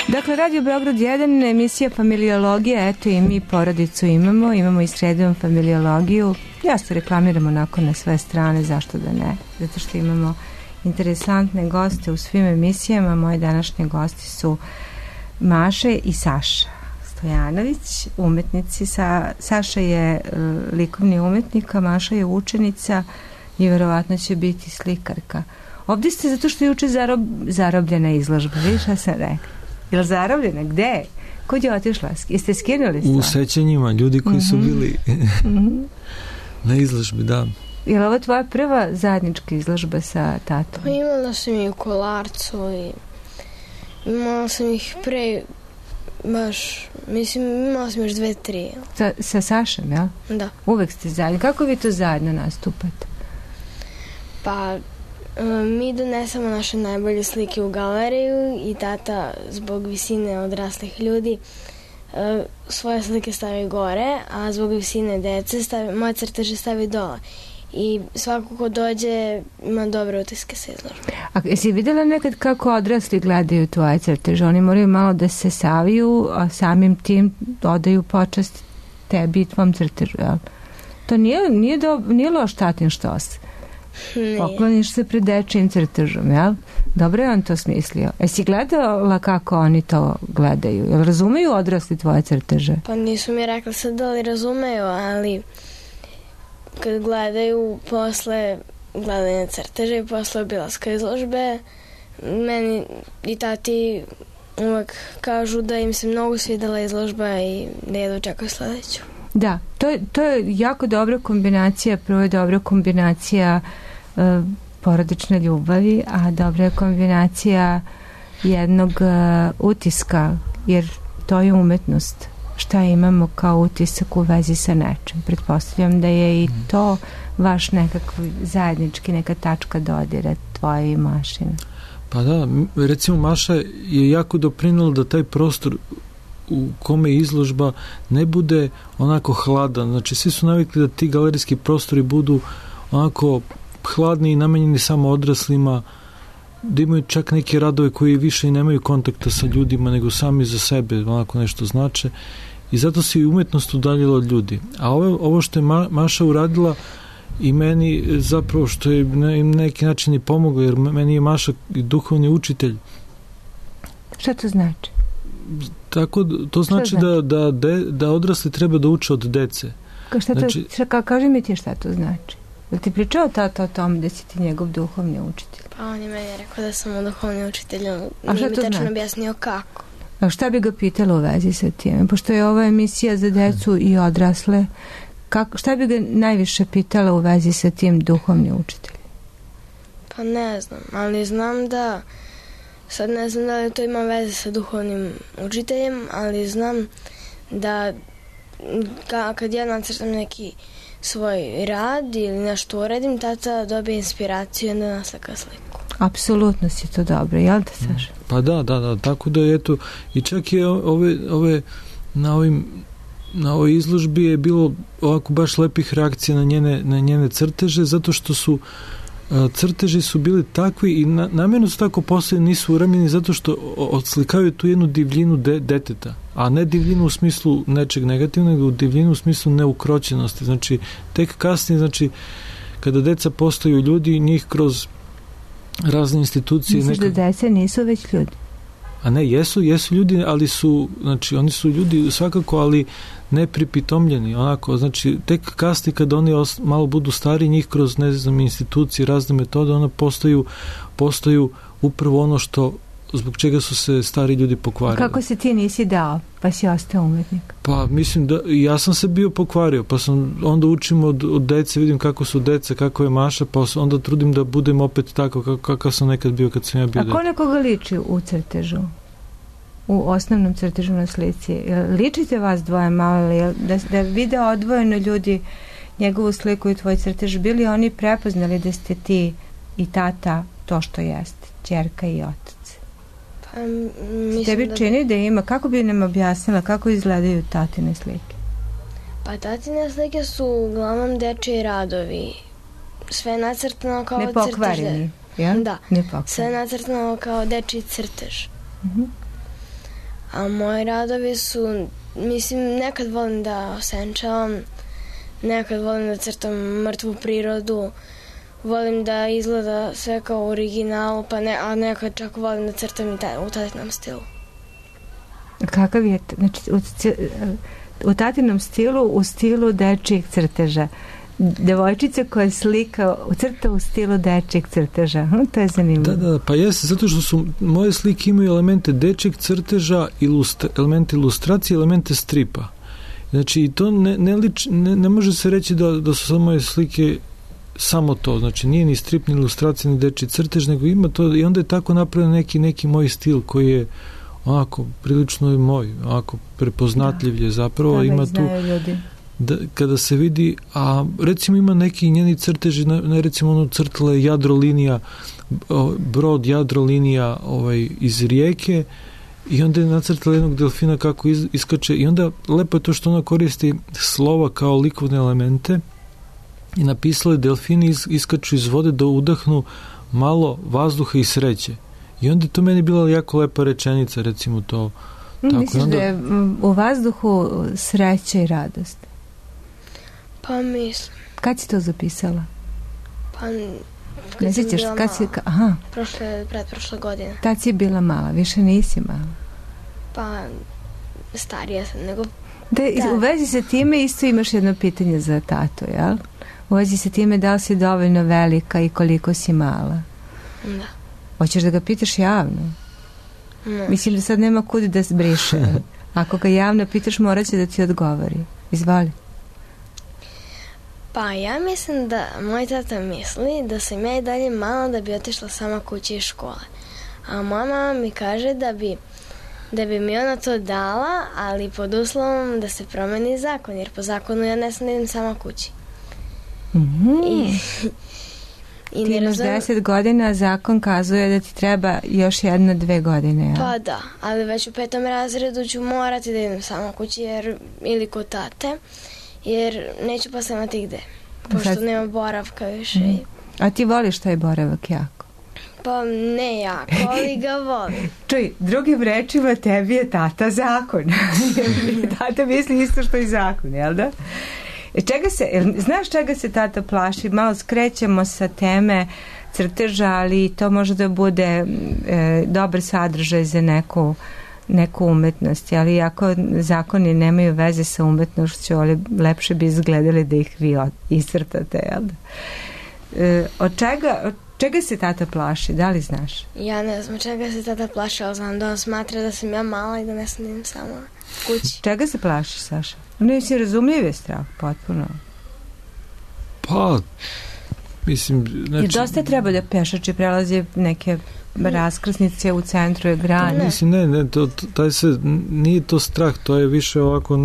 Dakle, Radio Beograd 1, emisija Familiologija, eto i mi porodicu imamo i sredom familiologiju. Ja se reklamiram onako na sve strane, zašto da ne? Zato što imamo interesantne goste u svim emisijama. Moji današnji gosti su Maše i Saša Stojanović, umetnici. Saša je likovni umetnik, a Maša je učenica i verovatno će biti slikarka. Ovdje ste zato što je juče zarobljena izložba. Vidiš šta sam rekla? Je li zarobljena? Gde? Kud je otišla? Jeste skinuli stvar? U sećanjima, ljudi koji su bili na izložbi, da. Je li ovo tvoja prva zajednička izložba sa tatom? Pa imala sam i u Kolarcu i imala sam ih pre baš, mislim, imala sam još 2-3. Sa Sašem, jel? Da. Uvek ste zajedno. Kako vi to zajedno nastupate? Pa mi donesemo naše najbolje slike u galeriju i tata zbog visine odraslih ljudi svoje slike stavi gore, a zbog visine dece moje crteže stavi dole. I svako ko dođe ima dobre utiske sa izložbe. A jesi vidjela nekad kako odrasli gledaju tvoje crteže? Oni moraju malo da se saviju, a samim tim odaju počast tebi i tvom crtežu, jel? To nije loš tatin štos. Pokloniš se pred dečijim crtežom, jel? Dobro je on to smislio. Jesi gledala kako oni to gledaju? Jel razumeju odrasli tvoje crteže? Pa nisu mi rekli sad da li razumeju, ali kad gledaju posle gledanja crteže i posle obilaska izložbe, meni i tati uvek kažu da im se mnogo svidela izložba i da jedva čekaju sledeću. Da, to je jako dobra kombinacija. Prvo je dobra kombinacija porodične ljubavi, a dobra je kombinacija jednog utiska, jer to je umetnost. šta imamo kao utisak u vezi sa nečim. Pretpostavljam da je i to vaš nekakvi zajednički, neka tačka dodira tvoje i Mašine. Pa da, recimo Maša je jako doprinula da taj prostor u kome je izložba ne bude onako hladan. Znači, svi su navikli da ti galerijski prostori budu onako hladni i namenjeni samo odraslima, da imaju čak neke radove koji više i nemaju kontakta sa ljudima, nego sami za sebe onako nešto znače. I zato se i umetnost udaljila od ljudi. A ovo što je Maša uradila i meni zapravo što je na neki način i pomogla, jer meni je Maša duhovni učitelj. Šta to znači? Tako, to znači da odrasli treba da uče od dece. Kaži mi ti šta to znači. Da ti pričao tata o tom da si ti njegov duhovni učitelj? Pa on je meni rekao da sam mu duhovni učitelj, A nije šta mi to tačno znači? objasnio kako. A šta bi ga pitala u vezi sa tim? Pošto je ova emisija za decu i odrasle, šta bi ga najviše pitala u vezi sa tim duhovni učitelj? Pa ne znam, ali znam da sad ne znam da li to ima veze sa duhovnim učiteljem, ali znam da kad ja nacrtam neki svoj rad ili nešto uredim, tata dobije inspiraciju i onda naslika sliku. Apsolutno si to dobro, jel da, Saša? Pa da, tako da eto, i čak je na ovoj izložbi je bilo ovako baš lepih reakcija na njene crteže, zato što su crteži su bili takvi i namjerno su tako postavljeni, nisu uramljeni zato što odslikavaju tu jednu divljinu deteta, a ne divljinu u smislu nečeg negativnog, nego divljinu u smislu neukroćenosti. Znači, tek kasnije, znači, kada deca postaju ljudi, njih kroz razne institucije... Misliš da deca nisu već ljudi? A ne, jesu ljudi, ali su, znači, oni su ljudi svakako, ali ne pripitomljeni, onako, znači, tek kasnije kada oni malo budu stari, njih kroz, ne znam, institucije, razne metode, ona postaju upravo ono što, zbog čega su se stari ljudi pokvarili. Kako se ti nisi dao, pa si ostao umetnik? Pa, mislim da, ja sam se bio pokvario, pa sam, onda učim od dece, vidim kako su deca, kako je Maša, pa onda trudim da budem opet tako, kakav sam nekad bio kad sam ja bio dete. A ko nekoga liči u crtežu? U osnovnom crtežu na slici? Ličite vas dvoje malo, da vide odvojeno ljudi njegovu sliku i tvoj crtež, bili oni prepoznali da ste ti i tata to što jeste, ćerka i otac? Pa, mislim tebi čini da ima, kako bi nam objasnila kako izgledaju tatine slike? Pa tatine slike su uglavnom dečiji radovi, sve nacrtano kao crtež. Nepokvareni, jel? Da, sve nacrtano kao dečiji crtež. A moji radovi su, mislim, nekad volim da osenčavam, nekad volim da crtam mrtvu prirodu, volim da izgleda sve kao u originalu, a nekad čak volim da crtam i u tatinom stilu. Kakav je, znači, u tatinom stilu, u stilu dečijeg crteža. Devojčica koja slika crta u stilu dečijeg crteža. To je zanimljivo. Da, pa jeste, zato što su moje slike imaju elemente dečijeg crteža, elemente ilustracije, elemente stripa. Znači, i to ne može se reći da su samo moje slike samo to. Znači, nije ni strip, ni ilustracija, ni dečiji crtež, nego ima to i onda je tako napravljen neki moj stil koji je onako prilično je moj, onako prepoznatljiv je zapravo. Ima tu kada se vidi, a recimo ima neki njeni crteži, recimo ono crtala je jadrolinija, brod jadrolinija iz rijeke i onda je nacrtala jednog delfina kako iskače i onda lepo je to što ona koristi slova kao likovne elemente i napisala je delfini iskaču iz vode da udahnu malo vazduha i sreće. I onda je to meni bila jako lepa rečenica, recimo to. Misliš da je u vazduhu sreća i radost? Pa mislim. Kad si to zapisala? Pa kad sam bila mala. Pretprošle godine. Tad si bila mala, više nisi mala. Pa starija sam nego... U vezi sa time isto imaš jedno pitanje za tatu, jel? U vezi sa time da li si dovoljno velika i koliko si mala? Da. Hoćeš da ga pitaš javno? Ne. Mislim da sad nema kud da zbriše. Ako ga javno pitaš, morat će da ti odgovori. Izvoli. Pa ja mislim da moj tata misli da sam ja i dalje mala da bi otišla sama kući iz škole. A moja mama mi kaže da bi mi ona to dala, ali pod uslovom da se promeni zakon, jer po zakonu ja ne sam da idem sama kući. I ti imaš 10 godina, zakon kazuje da ti treba još 1-2 godine. Ja? Pa da, ali već u 5. razredu ću morati da idem sama kući ili kod tate, jer neću posle imati gde, pošto nema boravka više. A ti voliš taj boravak jako? Pa ne jako, ali ga volim. Čuj, drugim rečima, tebi je tata zakon. Tata misli isto što i zakon, jel da? Znaš čega se tata plaši? Malo skrećemo sa teme crteža, ali to može da bude dobar sadržaj za neku umetnost, ali ako zakoni nemaju veze sa umetnošću, ali lepše bi izgledali da ih vi iscrtate, jel da? Od čega se tata plaši, da li znaš? Ja ne znam čega se tata plaši, ali znam da on smatra da sam ja mala i da ne snim sama kući. Čega se plašiš, Saša? Nisi razumljiv je strah, potpuno. Pa, mislim... Znači, i dosta treba da pešači prelazi neke raskrsnice u centru egrana. Mislim, nije to strah, to je više ovako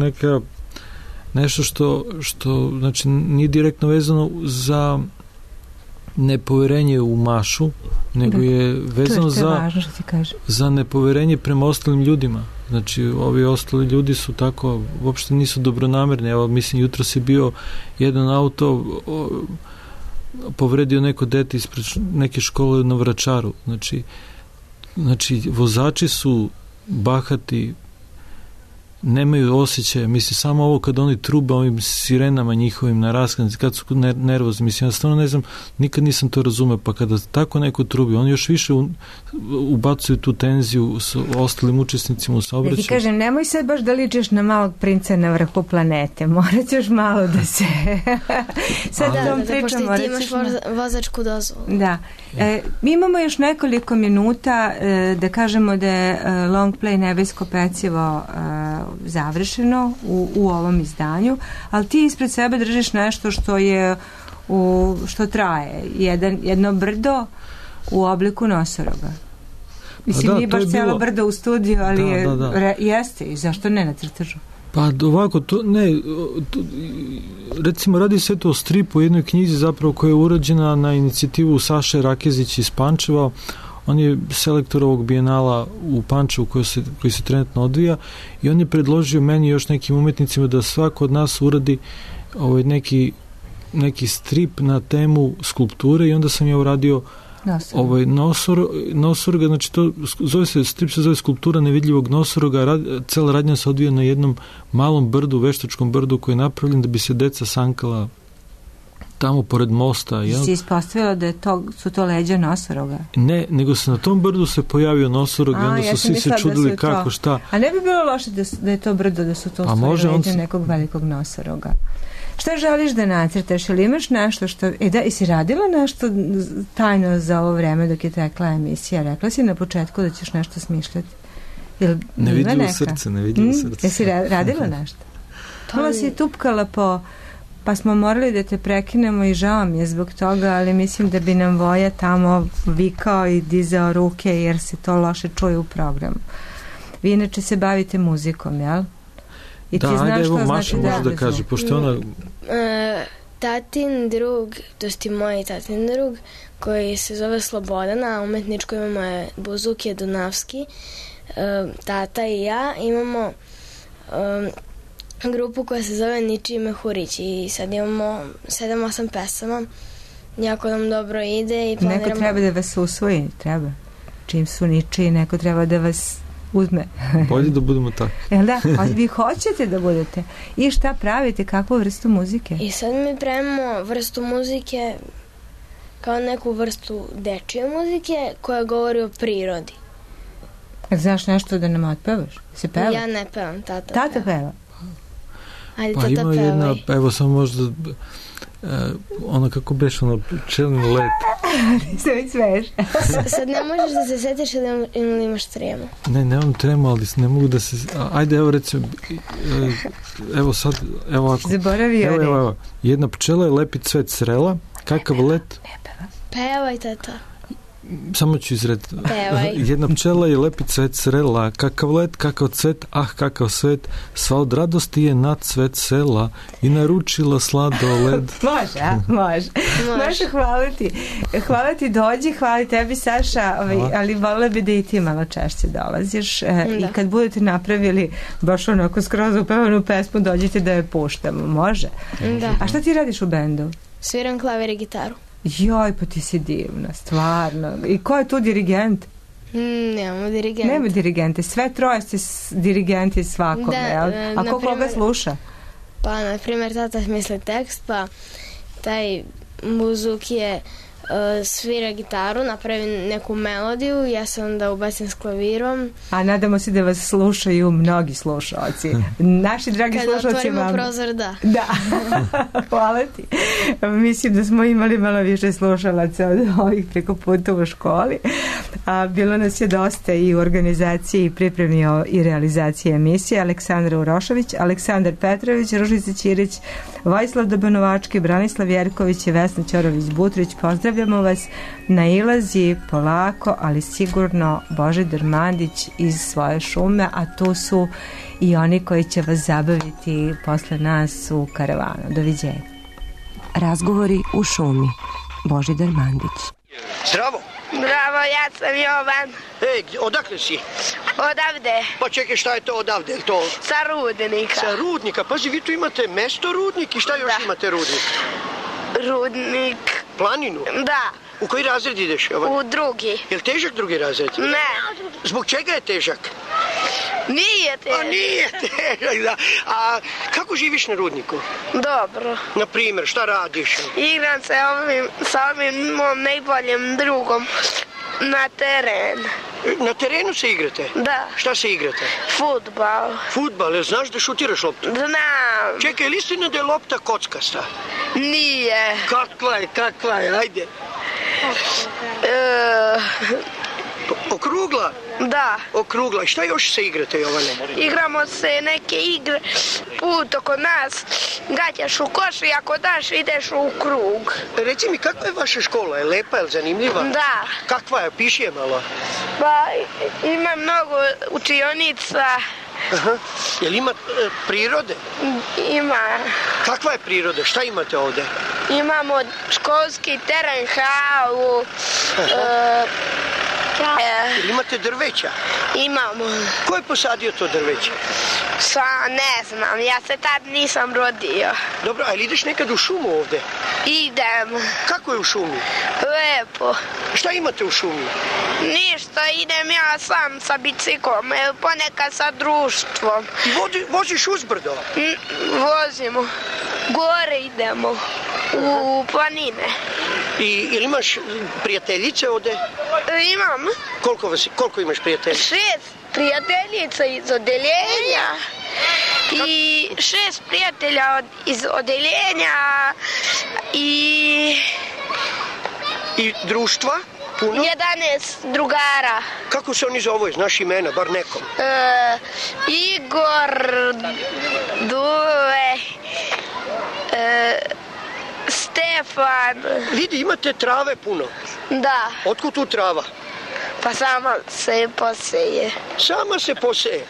nešto što znači, nije direktno vezano za nepoverenje u mašu, nego je vezano za nepoverenje prema ostalim ljudima. Znači, ovi ostali ljudi su tako, uopšte nisu dobronamerni. Evo, mislim, jutros je bio jedan auto povredio neko dete ispred neke škole na Vračaru. Znači, vozači su bahati, nemaju osjećaja, mislim, samo ovo kad oni trube ovim sirenama njihovim na raskanici, kad su nervozni, mislim, ja stvarno ne znam, nikad nisam to razumeo, pa kada tako neko trubi, oni još više ubacuju tu tenziju s ostalim učesnicima u saobraćaju. Da ti kažem, nemoj sad baš da ličiš na malog princa na vrhu planete, morat ćeš malo da se... sad pošto ti imaš vozačku dozvolu. Da. Mi imamo još nekoliko minuta da kažemo da je long play Nebesko pecivo završeno u ovom izdanju, ali ti ispred sebe držiš nešto što traje. Jedno brdo u obliku nosoroga. Mislim, nije baš cijelo brdo u studiju, ali jeste, i zašto ne na crtežu? Pa ovako, recimo radi se to o stripu, o jednoj knjizi zapravo koja je urađena na inicijativu Saše Rakezić iz Pančeva. On je selektor ovog bijenala u Pančevu koji se trenutno odvija i on je predložio meni i još nekim umetnicima da svako od nas uradi neki strip na temu skulpture i onda sam ja uradio nosoroga, znači strip se zove Skulptura nevidljivog nosoroga, cela radnja se odvija na jednom malom brdu, veštačkom brdu koji je napravljen da bi se deca sankala tamo pored mosta. Si ispostavila da su to leđa nosoroga? Ne, nego se na tom brdu se pojavio nosorog i onda su svi se čudili kako, šta. A ne bi bilo loše da je to brdo, da su to leđa nekog velikog nosoroga. Šta želiš da nacrtaš? Ili imaš nešto što... Jesi radila nešto tajno za ovo vreme dok je tekla emisija? Rekla si na početku da ćeš nešto smišljati. Nevidljivo srce. Jesi radila nešto? Malo si tupkala pa smo morali da te prekinemo i žao mi je zbog toga, ali mislim da bi nam Voja tamo vikao i dizao ruke jer se to loše čuje u programu. Vi inače se bavite muzikom, jel? I da, ajde, evo Maša može da kaže, pošto ona... Tatin drug, to je moj tatin drug, koji se zove Slobodana, a umetničko imamo je Buzuke Dunavski, tata i ja imamo grupu koja se zove Ničiji Mehurić i sad imamo 7-8 pesama, jako nam dobro ide i planiramo... Neko treba da vas usvoji, treba. Čim su ničiji, neko treba da vas uzme. Bolje da budemo tako. Jel da? Vi hoćete da budete. I šta pravite? Kakvu vrstu muzike? I sad mi pravimo vrstu muzike kao neku vrstu dečije muzike koja govori o prirodi. Znaš nešto da nam otpevaš? Se peva? Ja ne pevam, tata peva. Tata peva? Ajde, pa tata ima peva. jedna, evo samo možda ono kako beš, ono pčelni let. Se već sveš. Sad ne možeš da se setiš ili imaš tremu? Ne, nemam tremu, ali ne mogu da se... Ajde, evo recimo, evo sad, evo ovako. Zaboravio evo, jedna pčela je lepi cvet srela, kakav let? Pevaj, tata. Samo ću izred. Pevaj. Jedna pčela je lepi cvet srela, kakav let, kakav cvet, kakav svet, sva od radosti je na cvet sela i naručila sladoled. Može, hvala ti, dođi, hvala tebi Saša, ali volela bi da i ti malo češće dolaziš i kad budete napravili baš onako skroz upevanu pesmu, dođite da je puštamo, može? Da. A šta ti radiš u bendu? Sviram klavir i gitaru. Joj, pa ti si divna, stvarno. I ko je tu dirigent? Nemamo dirigente. Nema dirigente, sve troje ste dirigenti svakome, jel? A ko koga sluša? Pa, na primjer, tata misli tekst, pa taj muzuk je svira gitaru, napravi neku melodiju, ja se onda ubacim s klavirom. A nadamo se da vas slušaju mnogi slušalci. Naši dragi slušalci vam... Kad otvorimo prozor, da. Da, hvala ti. Mislim da smo imali malo više slušalaca od ovih preko puta u školi. Bilo nas je dosta i u organizaciji i pripremi i realizaciji emisije. Aleksandra Urošević, Aleksandar Petrović, Ružica Ćirić, Vojislav Dobanovački, Branislav Jerković i Vesna Ćorović-Butrić. Pozdravljamo vas. Nailazi polako, ali sigurno Božidar Mandić iz Svoje šume, a tu su i oni koji će vas zabaviti posle nas u karavanu. Doviđenja. Razgovori u šumi. Božidar Mandić. Zdravo. Bravo, ja sam Jovan. Ej, odakle si? Odavde. Pa čekaj, šta je to odavde? To... Sa Rudnika. Sa Rudnika? Pazi, vi tu imate mesto Rudnik i šta još imate Rudnik? Rudnik. Planinu? Da. U koji razred ideš, Jovan? U drugi. Je li težak drugi razred? Ne. Zbog čega je težak? Nije težak. A nije težak, da. A kako živiš na Rudniku? Dobro. Na primjer, šta radiš? Igram se sa ovim mom najboljim drugom na teren. Na terenu se igrate? Da. Šta se igrate? Fudbal. Fudbal, jel znaš da šutiraš loptu? Znam. Čekaj, je li istina da je lopta kockasta? Nije. Kakva je, ajde. Okrugla? Da. Okrugla. I šta još se igrate, Jovane? Igramo se neke igre put oko nas. Gađaš u koš i ako daš ideš u krug. Reci mi, kakva je vaša škola? Je lepa, je zanimljiva? Da. Kakva je? Piši je malo. Pa ima mnogo učionica. Aha. Jel ima prirode? Ima. Kakva je priroda? Šta imate ovde? Imamo školski teren, halu. Jel imate drveća? Imamo. Ko je posadio to drveće? Ne znam, ja se tad nisam rodio. Dobro, a ili ideš nekad u šumu ovde? Idem. Kako je u šumi? Lepo. Šta imate u šumi? Ništa, idem ja sam sa biciklom, ponekad sa društvom. Ti voziš uzbrdo? Vozimo. Gore idemo. U planine. I imaš prijateljice ovde? Imam. Koliko imaš prijateljica? 6 prijateljica iz odeljenja. I 6 prijatelja iz odeljenja. I društva? Puno? 11 drugara. Kako se oni zove? Znaš imena, bar nekom? Igor, Dule, Stefan. Vidi, imate trave puno. Da. Otkud tu trava? Pa sama se poseje. Sama se poseje?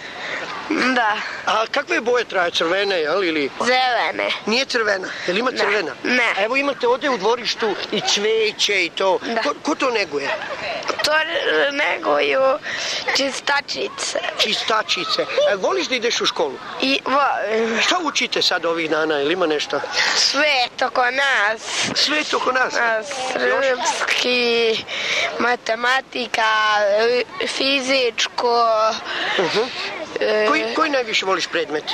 Da. A kakve boje traje? Crvene, jel? Ili... Zelene. Nije crvena? Jel ima crvena? Ne. A evo imate ovde u dvorištu i cveće i to. Da. Ko to neguje? To neguju čistačice. Čistačice. Voliš da ideš u školu? I volim. Šta učite sad ovih dana? Ili ima nešto? Svet oko nas. Svet oko nas? Srpski, matematika, fizičko. Koji najviše voliš predmet?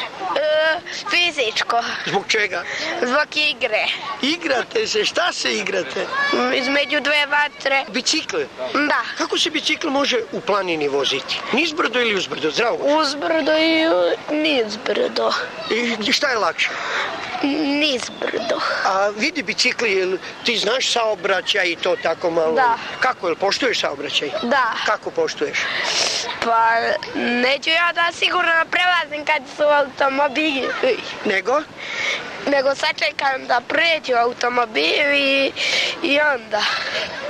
Fizičko. Zbog čega? Zbog igre. Igrate se? Šta se igrate? Između dve vatre. Bicikl? Da. Kako se bicikl može u planini voziti? Nizbrdo ili uzbrdo? Zdravo. Uzbrdo i nizbrdo. I šta je lakše? Nizbrdo. A vidi bicikli, ti znaš saobraćaj i to tako malo? Da. Kako, jel poštuješ saobraćaj? Da. Kako poštuješ? Pa neću ja da sigurno prelazim kad su automobili. Nego? nego sačekam da pređu automobili i onda.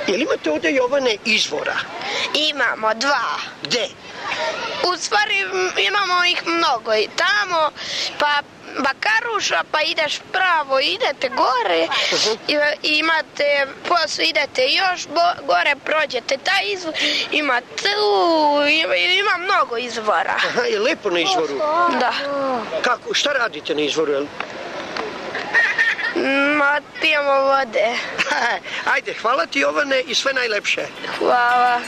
Jel imate ovdje, Jovane, izvora? Imamo 2. Gde? U stvari imamo ih mnogo i tamo, pa Bakaruša, pa ideš pravo, idete gore, imate, posle idete još gore, prođete taj izvor, ima tu, ima mnogo izvora. Aha, je lepo na izvoru? Da. Kako, šta radite na izvoru, jel? Pijemo vode. Ajde, hvala ti, Jovane, i sve najlepše. Hvala.